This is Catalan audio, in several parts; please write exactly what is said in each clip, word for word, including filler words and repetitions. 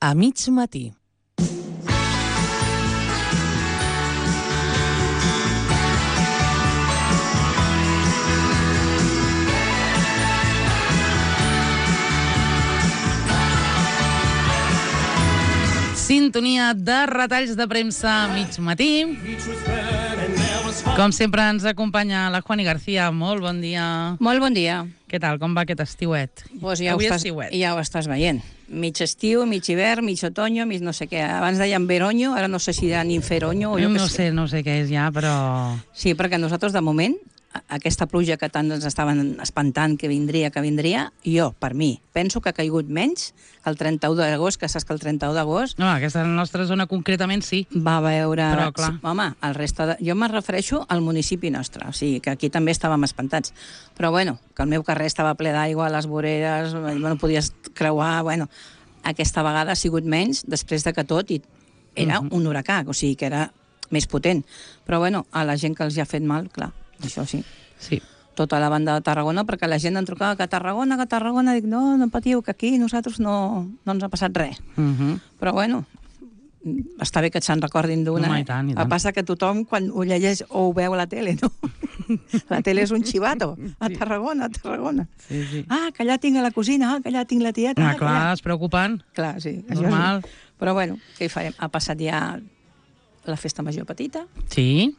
A mig matí. Sintonia de retalls de premsa a mig matí. Com sempre ens acompanya la Juani García. Molt bon dia. Molt bon dia. Què tal? Com va aquest estiuet? Pues ja, ho estàs, ja ho estàs veient. Mig estiu, mig hivern, mig otoño, mig no sé què. Abans deien veroño, ara no sé si diran inferoño. O jo no que sé, no sé què és ja, però... Sí, perquè nosaltres, de moment, aquesta pluja que tant ens estaven espantant que vindria, que vindria, jo, per mi, penso que ha caigut menys el trenta-u d'agost, que saps que el trenta-u d'agost... No, aquesta nostra zona concretament sí. Va veure... Però, clar... Sí, home, el reste de... Jo me refereixo al municipi nostre, o sigui, que aquí també estàvem espantats. Però, bueno, que el meu carrer estava ple d'aigua, les voreres, no podies creuar, bueno... Aquesta vegada ha sigut menys, després de que tot i era uh-huh. un huracà, o sigui, que era més potent. Però, bueno, a la gent que els hi ha fet mal, clar, això sí. Sí. Tota la banda de Tarragona, perquè la gent em trucava que a Tarragona, que a Tarragona, dic, no, no patiu, que aquí nosaltres no, no ens ha passat res. Uh-huh. Però, bueno, està bé que se'n recordin d'una. No, i tant, i tant. El passa que tothom, quan ho llegeix o ho veu a la tele, no? La tele és un xivato. A Tarragona, a Tarragona. Sí, sí. Ah, que allà tinc a la cosina, ah, que allà tinc la tieta. Ah, ah, clar, allà... es preocupen. Clar, sí. Normal. Sí. Però, bueno, què hi farem? Ha passat ja la festa major petita. Sí.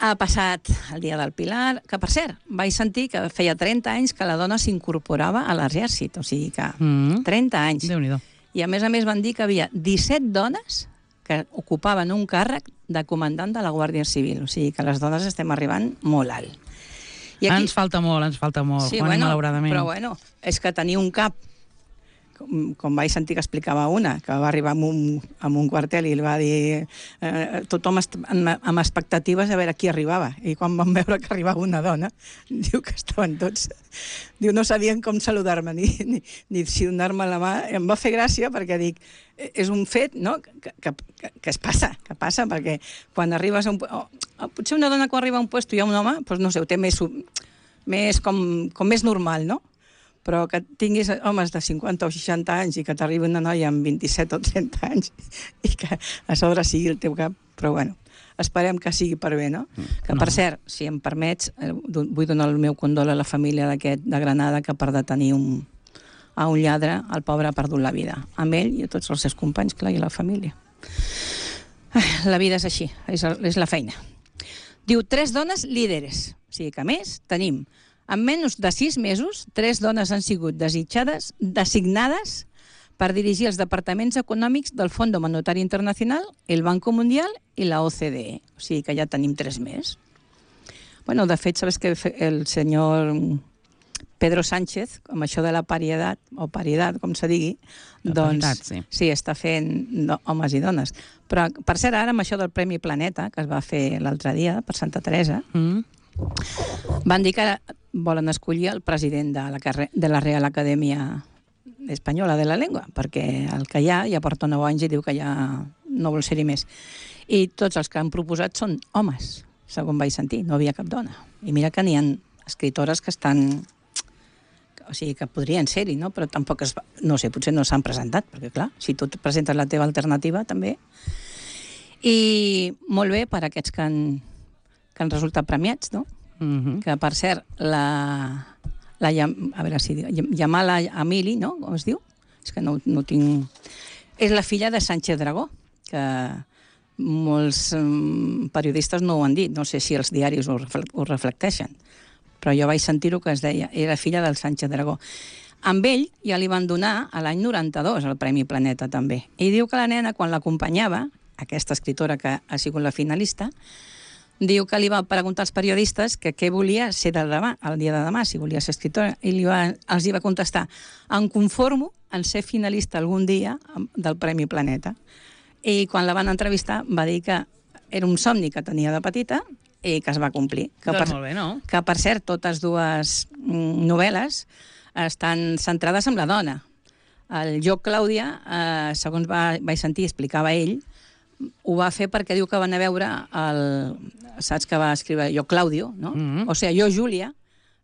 Ha passat el dia del Pilar, que, per cert, vaig sentir que feia trenta anys que la dona s'incorporava a l'exèrcit. O sigui que Mm. trenta anys. Déu-n'hi-do. I, a més a més, van dir que havia disset dones que ocupaven un càrrec de comandant de la Guàrdia Civil. O sigui que les dones estem arribant molt alt. I aquí... Ens falta molt, ens falta molt, sí, Juani, bueno, malauradament. Però, bueno, és que tenir un cap, com, com vaig sentir que explicava una, que va arribar a un, a un quartel i li va dir eh, tothom est amb, amb expectatives a veure qui arribava. I quan van veure que arribava una dona, diu que estaven tots... Diu, no sabien com saludar-me, ni, ni, ni si donar-me la mà. Em va fer gràcia perquè dic, és un fet, no?, que, que, que, que es passa, que passa, perquè quan arribes a un... Oh, potser una dona quan arriba a un lloc i hi ha un home, doncs no sé, ho té més, més com, com més normal, no? Però que tinguis homes de cinquanta o seixanta anys i que t'arribi una noia amb vint-i-set o trenta anys i que a sobre sigui el teu cap, però bueno, esperem que sigui per bé, no? Que, per cert, si em permets, vull donar el meu condol a la família d'aquest de Granada que per detenir un, a un lladre, el pobre ha perdut la vida. Amb ell i a tots els seus companys, clar, i la família. La vida és així, és, és la feina. Diu, tres dones líderes. O sigui que, a més, tenim, en menys de sis mesos, tres dones han sigut desitjades, designades per dirigir els departaments econòmics del Fons Monetari Internacional, el Banco Mundial i la O C D E. O sigui que ja tenim tres més. Bueno, de fet, sabes que el senyor Pedro Sánchez, amb això de la paritat, o paritat, com se digui, la doncs paritat, sí. sí, està fent no, homes i dones. Però, per cert, ara amb això del Premi Planeta, que es va fer l'altre dia per Santa Teresa, Mm. van dir que volen escollir el president de la, carre- de la Real Acadèmia Espanyola de la Llengua, perquè el que hi ha ja porta nou anys i diu que ja no vol ser-hi més. I tots els que han proposat són homes, segons vaig sentir, no havia cap dona. I mira que n'hi ha escritores que estan... O sigui, que podrien ser-hi, no? Però tampoc es... No sé, potser no s'han presentat, perquè clar, si tu et presentes la teva alternativa, també. I molt bé per aquests que han, que han resultat premiats, no? Mm-hmm. Que, per cert, la... la a veure si diu... Yamala Amili, no? Com es diu? És que no, no tinc... És la filla de Sánchez Dragó, que molts um, periodistes no ho han dit. No sé si els diaris ho, refle- ho reflecteixen. Però jo vaig sentir-ho que es deia, era filla del Sánchez Dragó. Amb ell ja li van donar a l'any noranta-dos el Premi Planeta, també. I diu que la nena, quan l'acompanyava, aquesta escritora que ha sigut la finalista, diu que li va preguntar als periodistes que què volia ser de demà, el dia de demà, si volia ser escritora, i li va, els hi va contestar, em conformo en ser finalista algun dia del Premi Planeta. I quan la van entrevistar va dir que era un somni que tenia de petita i que es va complir. Que Doncs per, molt bé, no? Que, per cert, totes dues mm, novel·les estan centrades en la dona. El Jo, Clàudia, eh, segons va, vaig sentir, explicava ell, ho va fer perquè diu que van a veure el... Saps que va escriure Jo, Claudio, no? Mm-hmm. O sigui, Jo, Júlia,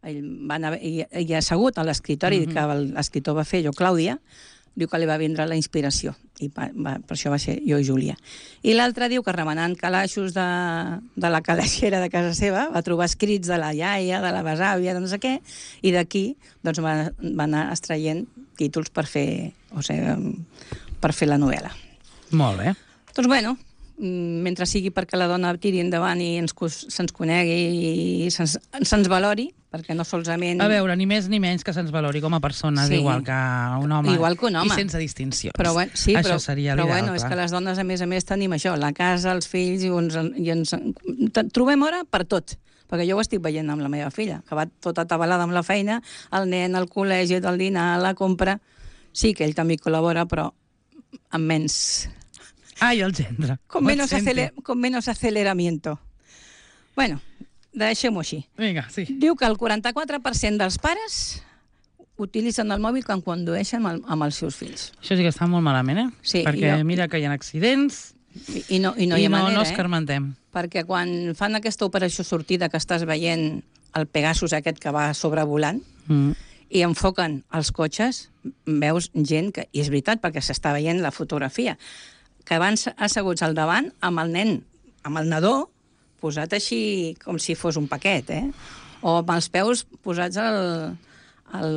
ell va anar, i, i assegut a l'escriptori, mm-hmm. que l'escriptor va fer Jo, Clàudia, diu que li va vindre la inspiració, i va, va, per això va ser Jo i Júlia. I l'altre diu que remenant calaixos de, de la calaixera de casa seva va trobar escrits de la iaia, de la besàvia, de no sé què, i d'aquí doncs, va, va anar extraient títols per fer, o sigui, per fer la novel·la. Molt bé. Doncs bueno, mentre sigui perquè la dona tiri endavant i ens, se'ns conegui i se'ns se valori, perquè no solament... A veure, ni més ni menys que se'ns valori com a persones, sí. igual que un home. Igual que un home. I sense distincions. Però, bueno, sí, això però, seria però l'ideal, bueno, és que les dones, a més a més, tenim això, la casa, els fills, i ens, i ens trobem hora per tot. Perquè jo ho estic veient amb la meva filla, que va tota atabalada amb la feina, el nen, el col·legi, el dinar, la compra... Sí que ell també col·labora, però amb menys... Ai, el gendre. Con menos, aceler, con menos aceleramiento. Bueno, deixem-ho així. Vinga, sí. Diu que el quaranta-quatre per cent dels pares utilitzen el mòbil quan condueixen amb, el, amb els seus fills. Això sí que està molt malament, eh? Sí, perquè jo... mira que hi ha accidents i, i no, i no i hi ha no, manera, no escarmentem. Eh? Perquè quan fan aquesta operació sortida que estàs veient el Pegasus aquest que va sobrevolant, mm. i enfoquen els cotxes, veus gent que... I és veritat, perquè s'està veient la fotografia, que van asseguts al davant amb el nen, amb el nadó, posat així com si fos un paquet, eh? O amb els peus posats al, al,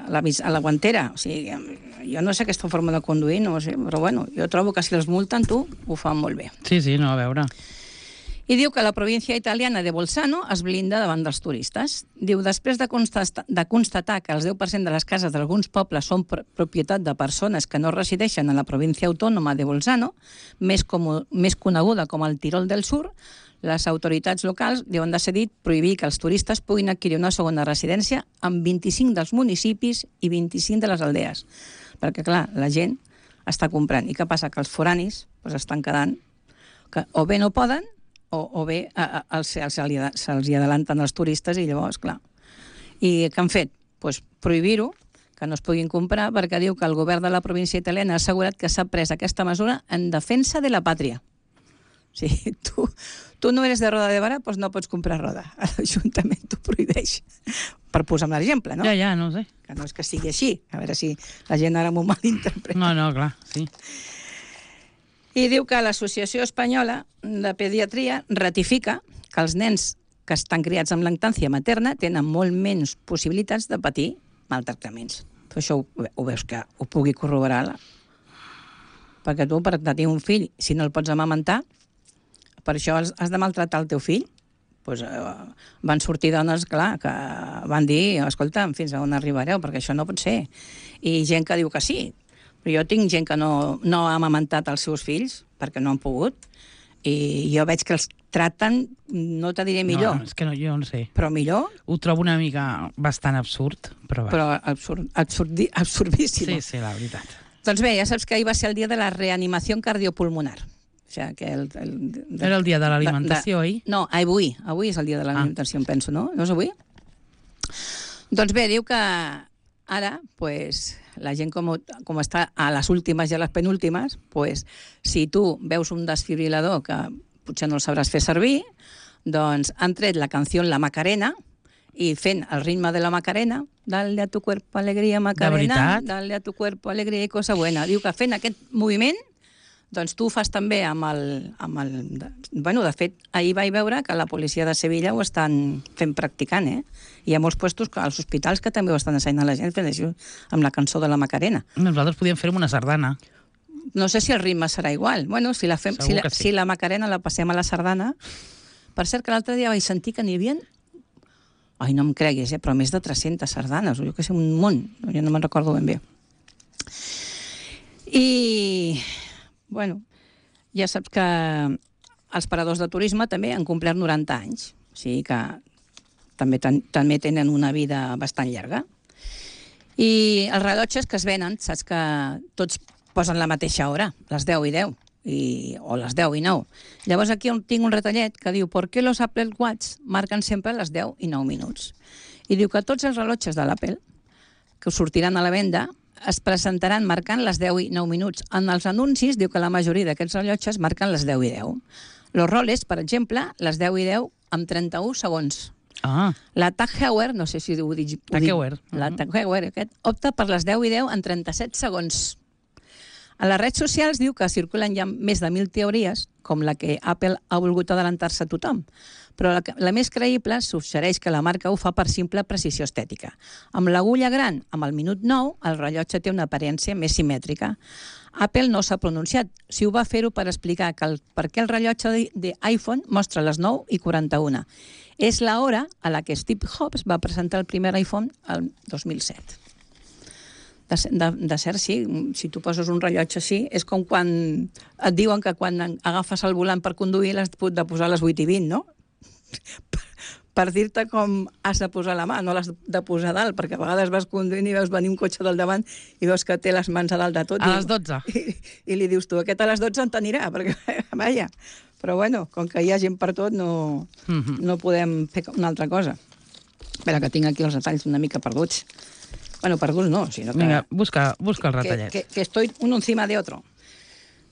a, la, a la guantera. O sigui, jo no sé aquesta forma de conduir, no sé, però bueno, jo trobo que si els multen, tu, ho fan molt bé. Sí, sí, no, a veure... I diu que la província italiana de Bolzano es blinda davant dels turistes. Diu, després de, constatar, de constatar que el deu per cent de les cases d'alguns pobles són pr propietat de persones que no resideixen en la província autònoma de Bolzano, més, com, més coneguda com el Tirol del Sur, les autoritats locals han decidit prohibir que els turistes puguin adquirir una segona residència en vint-i-cinc dels municipis i vint-i-cinc de les aldees. Perquè, clar, la gent està comprant. I què passa? Que els foranis pues, estan quedant... Que o bé no poden, o, o bé a, a, se'ls se hi adelanten els turistes i llavors, clar. I què han fet? Pues prohibir-ho, que no es puguin comprar, perquè diu que el govern de la província italiana ha assegurat que s'ha pres aquesta mesura en defensa de la pàtria. O sigui, tu, tu no eres de Roda de Barà, doncs no pots comprar roda. L'Ajuntament t'ho prohibeix. Per posar un exemple, no? Ja, ja, no sé. Que no és que sigui així. A veure si la gent ara m'ho malinterpreta. No, no, clar, sí. I diu que l'Associació Espanyola de Pediatria ratifica que els nens que estan criats amb lactància materna tenen molt menys possibilitats de patir maltractaments. Però això ho, ho veus que ho pugui corroborar. La... Perquè tu, per tenir un fill, si no el pots amamentar, per això has, has de maltratar el teu fill. Pues, eh, van sortir dones, clar, que van dir, escolta, fins a on arribareu, perquè això no pot ser. I gent que diu que sí. Però jo tinc gent que no, no ha amamentat els seus fills, perquè no han pogut, i jo veig que els traten, no te diré millor. No, és que no, jo no sé. Però millor. Ho trobo una mica bastant absurd, però... Però absurd, absurdi, absurdíssim. Sí, sí, la veritat. Doncs bé, ja saps que ahir va ser el dia de la reanimació cardiopulmonar. O sigui, que el, el, de, Era el dia de l'alimentació, oi? No, avui. Avui és el dia de l'alimentació, ah. em penso, no? No és avui? Doncs bé, diu que ara, pues, la gent com, com està a les últimes i a les penúltimes, pues, si tu veus un desfibrilador que potser no el sabràs fer servir, doncs han tret la canció La Macarena i fent el ritme de la Macarena, dale a tu cuerpo alegría Macarena, dale a tu cuerpo alegría i cosa buena. Diu que fent aquest moviment, doncs tu ho fas també amb el... Amb el bueno, de fet, ahir vaig veure que la policia de Sevilla ho estan fent practicant, eh? Hi ha molts puestos als hospitals que també ho estan ensenyant a la gent fent això amb la cançó de la Macarena. Nosaltres podíem fer una sardana. No sé si el ritme serà igual. Bueno, si la, fem, si la, sí. si la Macarena la passem a la sardana... Per cert, que l'altre dia vaig sentir que n'hi havia... Ai, no em creguis, eh? Però més de tres-centes sardanes, o jo que sé, un munt. Jo no me'n recordo ben bé. I... Bueno, ja saps que els paradors de turisme també han complert noranta anys. O sigui que també, ten, també tenen una vida bastant llarga. I els rellotges que es venen, saps que tots posen la mateixa hora, les deu i deu, i, o les deu i nou. Llavors aquí tinc un retallet que diu ¿por qué los Apple Watch marquen sempre les deu i nou minuts? I diu que tots els rellotges de l'Apple que sortiran a la venda es presentaran marcant les deu i nou minuts. En els anuncis diu que la majoria d'aquests rellotges marquen les deu i deu. Los Rolex, per exemple, les deu i deu amb trenta-un segons. Ah. La Tag Heuer, no sé si ho dic... Tag Heuer. La Tag Heuer, aquest, opta per les deu i deu en trenta-set segons. A les redes socials diu que circulen ja més de mil teories, com la que Apple ha volgut adelantar-se a tothom, però la, la més creïble suggereix que la marca ho fa per simple precisió estètica. Amb l'agulla gran, amb el minut nou, el rellotge té una aparença més simètrica. Apple no s'ha pronunciat, si ho va fer-ho per explicar que el, per què el rellotge d'iPhone mostra les nou i quaranta-una. És l'hora a la que Steve Jobs va presentar el primer iPhone el dos mil set. De, de, de cert, sí, si tu poses un rellotge així, és com quan et diuen que quan agafes el volant per conduir l'has de posar a les vuit i vint, no? Per, per dir-te com has de posar la mà, no l'has de posar a dalt, perquè a vegades vas conduint i veus venir un cotxe del davant i veus que té les mans a dalt de tot. A les dotze. I, i li dius tu, aquest a les dotze en t'anirà, perquè, vaja. Però bueno, com que hi ha gent per tot, no, mm-hmm. no podem fer una altra cosa. Espera, que tinc aquí els detalls una mica perduts. Bueno, perduts no, sinó que... Vinga, busca, busca el retallet. Que, que, que estoy uno encima de otro.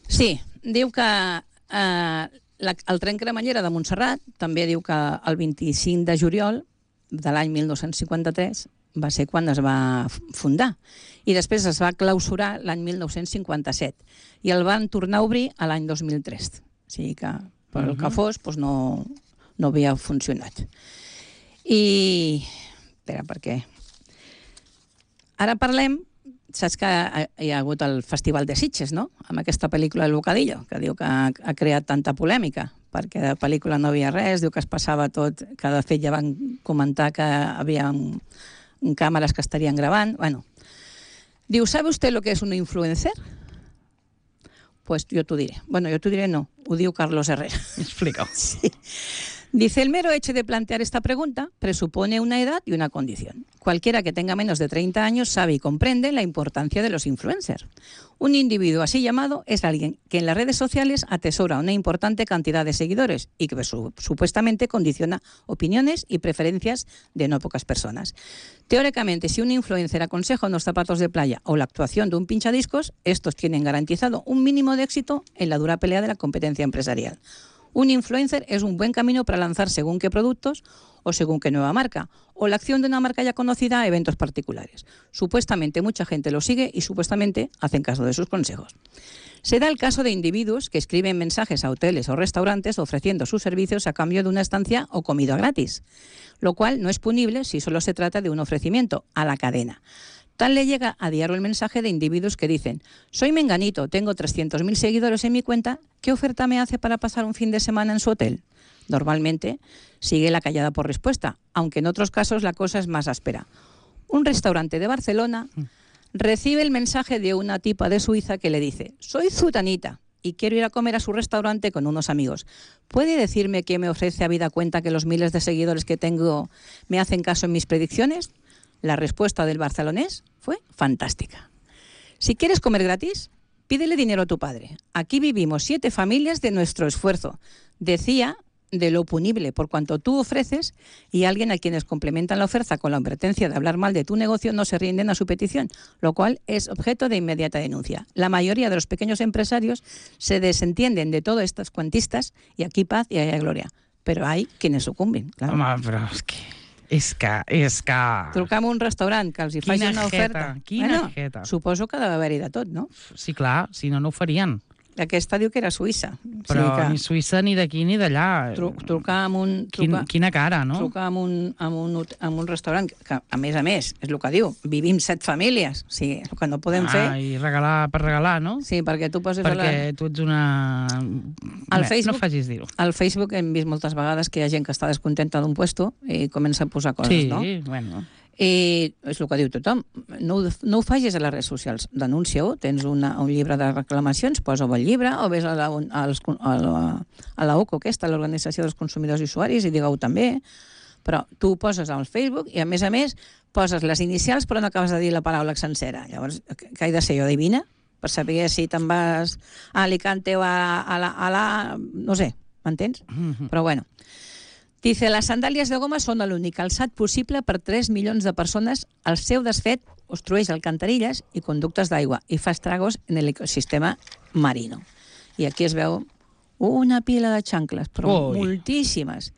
Sí, diu que eh, la, el tren cremallera de Montserrat també diu que el vint-i-cinc de juliol de l'any mil nou-cents cinquanta-tres va ser quan es va fundar. I després es va clausurar l'any mil nou-cents cinquanta-set. I el van tornar a obrir a l'any dos mil tres. O sigui que, per el que fos, doncs no, no havia funcionat. I... Espera, per què? Ara parlem, saps que hi ha hagut el Festival de Sitges, no?, amb aquesta pel·lícula El Bocadillo, que diu que ha, ha creat tanta polèmica, perquè de pel·lícula no havia res, diu que es passava tot, que de fet ja van comentar que havia un, un càmeres que estarien gravant. Bueno, diu, ¿sabe usted lo que es un influencer? Pues yo te diré. Bueno, yo te diré no, ho diu Carlos Herrera. Explica. Sí. Dice, el mero hecho de plantear esta pregunta presupone una edad y una condición. Cualquiera que tenga menos de treinta años sabe y comprende la importancia de los influencers. Un individuo así llamado es alguien que en las redes sociales atesora una importante cantidad de seguidores y que su, supuestamente condiciona opiniones y preferencias de no pocas personas. Teóricamente, si un influencer aconseja unos zapatos de playa o la actuación de un pinchadiscos, estos tienen garantizado un mínimo de éxito en la dura pelea de la competencia empresarial. Un influencer es un buen camino para lanzar según qué productos o según qué nueva marca, o la acción de una marca ya conocida a eventos particulares. Supuestamente mucha gente lo sigue y supuestamente hacen caso de sus consejos. Se da el caso de individuos que escriben mensajes a hoteles o restaurantes ofreciendo sus servicios a cambio de una estancia o comida gratis, lo cual no es punible si solo se trata de un ofrecimiento a la cadena. Tal le llega a diario el mensaje de individuos que dicen: soy menganito, tengo trescientos mil seguidores en mi cuenta, ¿qué oferta me hace para pasar un fin de semana en su hotel? Normalmente sigue la callada por respuesta, aunque en otros casos la cosa es más áspera. Un restaurante de Barcelona recibe el mensaje de una tipa de Suiza que le dice: soy zutanita y quiero ir a comer a su restaurante con unos amigos. ¿Puede decirme qué me ofrece habida cuenta que los miles de seguidores que tengo me hacen caso en mis predicciones? La respuesta del barcelonés fue fantástica. Si quieres comer gratis, pídele dinero a tu padre. Aquí vivimos siete familias de nuestro esfuerzo. Decía de lo punible por cuanto tú ofreces, y alguien a quienes complementan la oferta con la advertencia de hablar mal de tu negocio no se rinden a su petición, lo cual es objeto de inmediata denuncia. La mayoría de los pequeños empresarios se desentienden de todas estas cuantistas y aquí paz y allá gloria. Pero hay quienes sucumben. Claro. Home, però és que... És que... És que... Trucar a un restaurant que els hi faci una oferta. Quina bueno, jeta. Suposo que ha d'haver-hi de tot, no? Sí, clar, si no, no ho farien. Aquesta diu que era Suïssa. Però o sigui que... ni Suïssa, ni d'aquí, ni d'allà. Tru trucar amb un... Trucar, Quin, quina cara, no? Trucar amb un, amb, un, amb un restaurant que, a més a més, és el que diu, vivim set famílies. O sigui, el que no podem ah, fer... I regalar per regalar, no? Sí, perquè tu poses... Perquè la... tu ets una... Al Facebook, no facis dir-ho. Al Facebook hem vist moltes vegades que hi ha gent que està descontenta d'un puesto i comença a posar coses, sí, no? Sí, bueno... I és el que diu tothom, no, no ho facis a les redes socials, denuncia-ho, tens una, un llibre de reclamacions, posa-ho al llibre, o ves a la, a la, a la O C O aquesta, l'Organització dels Consumidors i Usuaris, i digue-ho també, però tu ho poses al Facebook i a més a més poses les inicials però no acabes de dir la paraula sencera. Llavors, què he de ser jo, adivina? Per saber si te'n vas a Alicante o a, a, la, a la... no sé, m'entens? Mm-hmm. Però bueno. Dice, las sandalias de goma són l'únic calçat possible per tres milions de persones. El seu desfet obstrueix alcantarilles i conductes d'aigua i fa estragos en l'ecosistema marino. I aquí es veu una pila de xancles, però oh, moltíssimes.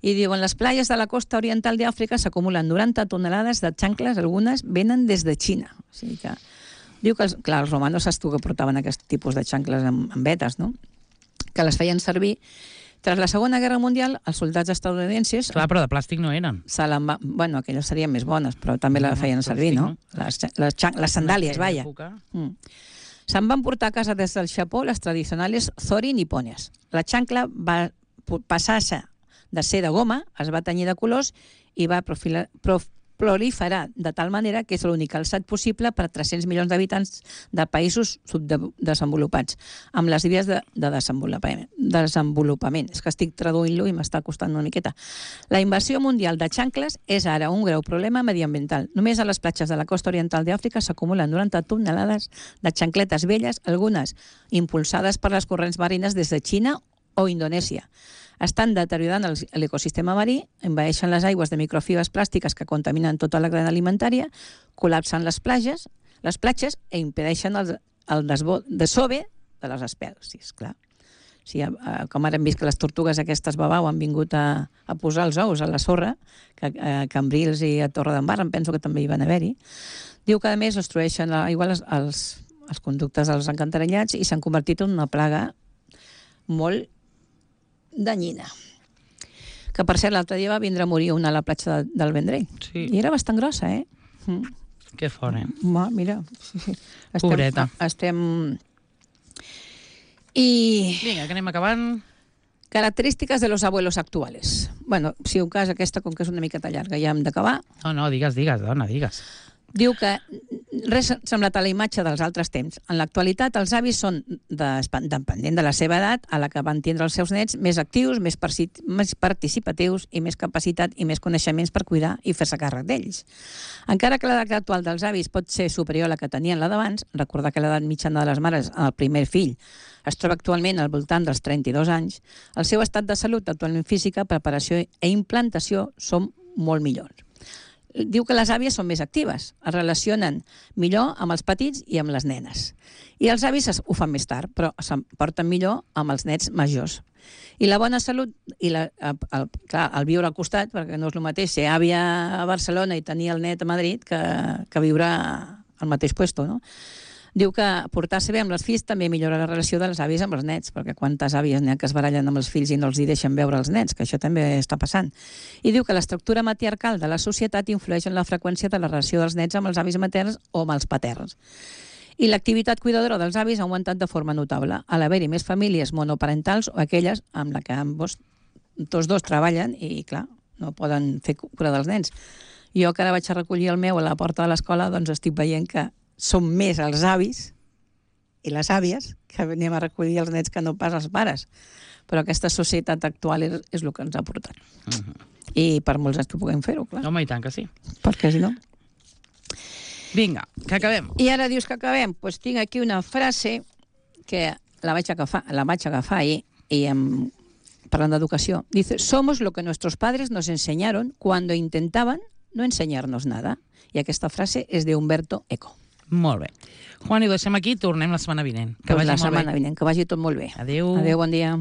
I diuen, les playes de la costa oriental d'Àfrica s'acumulen noranta tonelades de xancles, algunes venen des de Xina. O sigui que... Diu que, els, clar, els romanos saps tu que portaven aquest tipus de xancles amb, amb vetes, no? Que les feien servir. Tras la Segona Guerra Mundial, els soldats estadounidenses... Clar, però de plàstic no eren. Se va... Bueno, aquelles serien més bones, però també la feien servir, no? Les, les, les sandàlies, vaja. Mm. Se'n van portar a casa des del Japó les tradicionals zori nipones. La xancla va passar-se de ser de goma, es va tenyir de colors i va profilar, prof, proliferar de tal manera que és l'únic calçat possible per a tres-cents milions d'habitants de països subdesenvolupats, amb les idees de, de desenvolupament, desenvolupament. És que estic traduint-lo i m'està costant una miqueta. La invasió mundial de xancles és ara un greu problema mediambiental. Només a les platges de la costa oriental d'Àfrica s'acumulen noranta tonelades de xancletes velles, algunes impulsades per les corrents marines des de Xina o Indonèsia. Estan deteriorant l'ecosistema marí, envaeixen les aigües de microfibres plàstiques que contaminen tota la cadena alimentària, col·lapsen les platges, les platges i impedeixen el, el desove de les espècies, clar. Sí, com ara hem vist que les tortugues aquestes babau han vingut a, a posar els ous a la sorra, que a Cambrils i a Torredembarra em penso que també hi van haver-hi. Diu que a més destrueixen l'aigua els, els, els conductes dels encantarellats i s'han convertit en una plaga molt danyina. Que, per cert, l'altre dia va vindre a morir una a la platja de, del Vendrell. Sí. I era bastant grossa, eh? Mm. Que fort, eh? Ma, mira. Sí, sí. Estem, Pobreta. Estem... I... Vinga, que anem acabant. Característiques de los abuelos actuales. Bueno, si un cas aquesta, com que és una miqueta llarga, ja hem d'acabar. No, no, digues, digues, dona, digues. Diu que res ha semblat a la imatge dels altres temps. En l'actualitat, els avis són, de, depenent de la seva edat, a la que van tindre els seus nets, més actius, més, més participatius i més capacitat i més coneixements per cuidar i fer-se càrrec d'ells. Encara que l'edat actual dels avis pot ser superior a la que tenien la d'abans, recordar que l'edat mitjana de les mares al primer fill es troba actualment al voltant dels trenta-dos anys, el seu estat de salut, actualment física, preparació i implantació són molt millors. Diu que les àvies són més actives, es relacionen millor amb els petits i amb les nenes. I els avis ho fan més tard, però se'n porten millor amb els nets majors. I la bona salut, i la, el, clar, el viure al costat, perquè no és el mateix ser àvia a Barcelona i tenir el net a Madrid que, que viure al mateix puesto, no? Diu que portar-se bé amb les fills també millora la relació de les àvies amb els nets, perquè quantes àvies n'hi ha que es barallen amb els fills i no els hi deixen veure els nets, que això també està passant. I diu que l'estructura matriarcal de la societat influeix en la freqüència de la relació dels nets amb els avis materns o amb els paterns. I l'activitat cuidadora dels avis ha augmentat de forma notable, a l'haver-hi més famílies monoparentals o aquelles amb la que ambos, tots dos treballen i, clar, no poden fer cura dels nens. Jo que ara vaig a recollir el meu a la porta de l'escola, doncs estic veient que són més els avis i les àvies que anem a recollir els nets que no pas els pares. Però aquesta societat actual és, és el que ens ha portat. Uh-huh. I per molts anys que puguem fer-ho, clar. Home, i tant que sí. Perquè si no... Vinga, que acabem. I ara dius que acabem? Doncs pues tinc aquí una frase que la vaig agafar, la vaig agafar ahir i em... parlant d'educació. Dice, somos lo que nuestros padres nos enseñaron cuando intentaban no enseñarnos nada. I aquesta frase és d'Umberto Eco. Molt bé. Juan, i ho deixem aquí, tornem la setmana vinent. Que pues vagi la molt setmana bé. vinent, que vagi tot molt bé. Adéu. Adéu, bon dia.